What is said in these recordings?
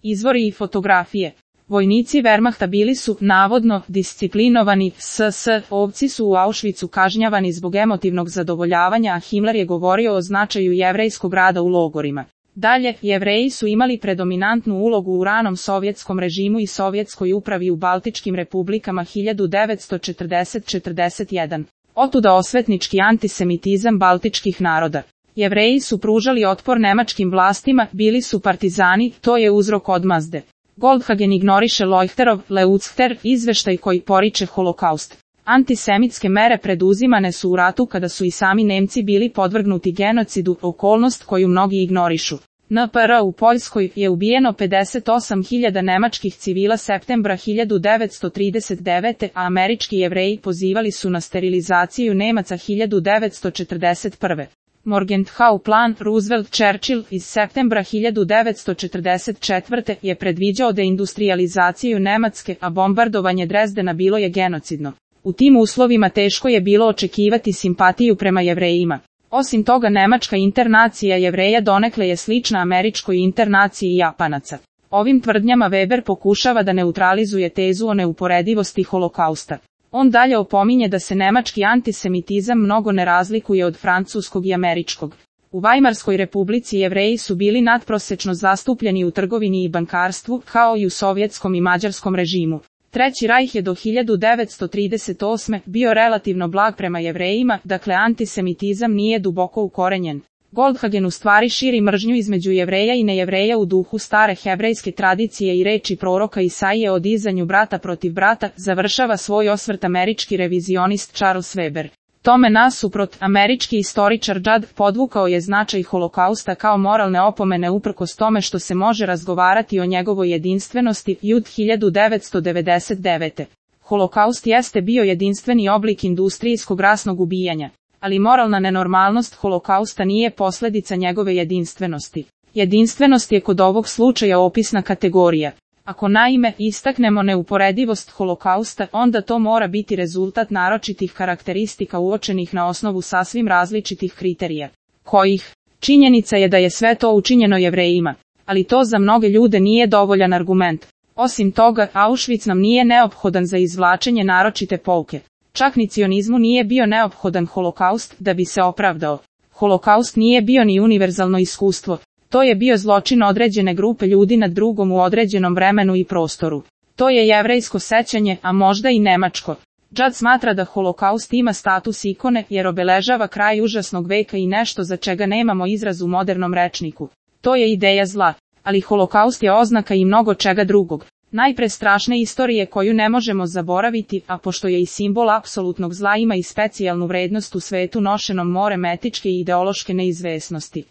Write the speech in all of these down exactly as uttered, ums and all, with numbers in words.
Izvori i fotografije. Vojnici Wehrmachta bili su, navodno, disciplinovani, S S, ovci su u Auschwitzu kažnjavani zbog emotivnog zadovoljavanja, a Himmler je govorio o značaju jevrejskog rada u logorima. Dalje, Jevreji su imali predominantnu ulogu u ranom sovjetskom režimu i sovjetskoj upravi u Baltičkim republikama hiljadu devetsto četrdeset do četrdeset jedan. Otuda osvetnički antisemitizam baltičkih naroda. Jevreji su pružali otpor nemačkim vlastima, bili su partizani, to je uzrok odmazde. Goldhagen ignoriše Leuchterov, Leuchter, izveštaj koji poriče holokaust. Antisemitske mere preduzimane su u ratu kada su i sami Nemci bili podvrgnuti genocidu, okolnost koju mnogi ignorišu. N P R u Poljskoj je ubijeno pedeset osam hiljada nemačkih civila septembra hiljadu devetsto trideset devete. a američki Jevreji pozivali su na sterilizaciju Nemaca hiljadu devetsto četrdeset prve. Morgenthau plan Roosevelt-Churchill iz septembra hiljadu devetsto četrdeset četvrte. je predviđao deindustrializaciju Nemačke, a bombardovanje Drezdena bilo je genocidno. U tim uslovima teško je bilo očekivati simpatiju prema Jevrejima. Osim toga, nemačka internacija Jevreja donekle je slična američkoj internaciji Japanaca. Ovim tvrdnjama Weber pokušava da neutralizuje tezu o neuporedivosti holokausta. On dalje opominje da se nemački antisemitizam mnogo ne razlikuje od francuskog i američkog. U Vajmarskoj republici Jevreji su bili nadprosečno zastupljeni u trgovini i bankarstvu, kao i u sovjetskom i mađarskom režimu. Treći rajh je do hiljadu devetsto trideset osme. bio relativno blag prema Jevrejima, dakle antisemitizam nije duboko ukorenjen. Goldhagen u stvari širi mržnju između Jevreja i nejevreja u duhu stare hebrejske tradicije i reči proroka Isaije o dizanju brata protiv brata, završava svoj osvrt američki revizionist Charles Weber. Tome nasuprot, američki istoričar Judd podvukao je značaj holokausta kao moralne opomene uprkos tome što se može razgovarati o njegovoj jedinstvenosti. Judd hiljadu devetsto devedeset devete. Holokaust jeste bio jedinstveni oblik industrijskog rasnog ubijanja, ali moralna nenormalnost holokausta nije posljedica njegove jedinstvenosti. Jedinstvenost je kod ovog slučaja opisna kategorija. Ako naime istaknemo neuporedivost holokausta, onda to mora biti rezultat naročitih karakteristika uočenih na osnovu sasvim različitih kriterija. Kojih? Činjenica je da je sve to učinjeno Jevrejima, ali to za mnoge ljude nije dovoljan argument. Osim toga, Auschwitz nam nije neophodan za izvlačenje naročite pouke. Čak ni cionizmu nije bio neophodan holokaust da bi se opravdao. Holokaust nije bio ni univerzalno iskustvo. To je bio zločin određene grupe ljudi nad drugom u određenom vremenu i prostoru. To je jevrejsko sećanje, a možda i nemačko. Judd smatra da holokaust ima status ikone jer obeležava kraj užasnog veka i nešto za čega nemamo izraz u modernom rečniku. To je ideja zla, ali holokaust je oznaka i mnogo čega drugog. Najpre strašne istorije koju ne možemo zaboraviti, a pošto je i simbol apsolutnog zla ima i specijalnu vrednost u svetu nošenom morem etičke i ideološke neizvesnosti.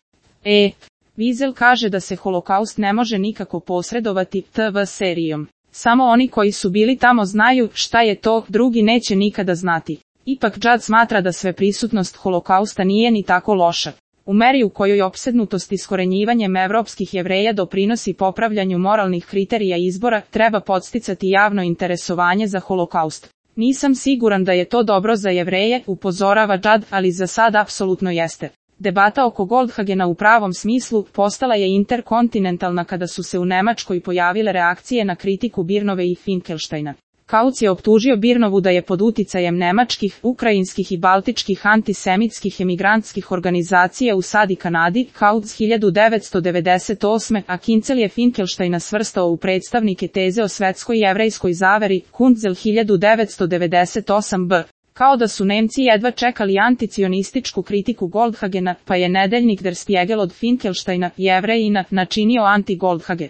E. Wiesel kaže da se holokaust ne može nikako posredovati T V serijom. Samo oni koji su bili tamo znaju šta je to, drugi neće nikada znati. Ipak Judd smatra da sveprisutnost holokausta nije ni tako loša. U meri u kojoj opsednutost iskorenjivanjem evropskih Jevreja doprinosi popravljanju moralnih kriterija izbora, treba podsticati javno interesovanje za holokaust. Nisam siguran da je to dobro za Jevreje, upozorava Judd, ali za sad apsolutno jeste. Debata oko Goldhagena u pravom smislu postala je interkontinentalna kada su se u Nemačkoj pojavile reakcije na kritiku Birnove i Finkelsteina. Kautz je optužio Birnovu da je pod uticajem nemačkih, ukrajinskih i baltičkih antisemitskih emigrantskih organizacija u S A D i Kanadi, Kautz hiljadu devetsto devedeset osme, a Kinzel je Finkelsteina svrstao u predstavnike teze o svetskoj jevrejskoj zaveri, Kunzel hiljadu devetsto devedeset osam b. Kao da su Nemci jedva čekali anticionističku kritiku Goldhagena, pa je nedeljnik Der Spiegel od Finkelsteina, Jevrejina, načinio anti-Goldhage.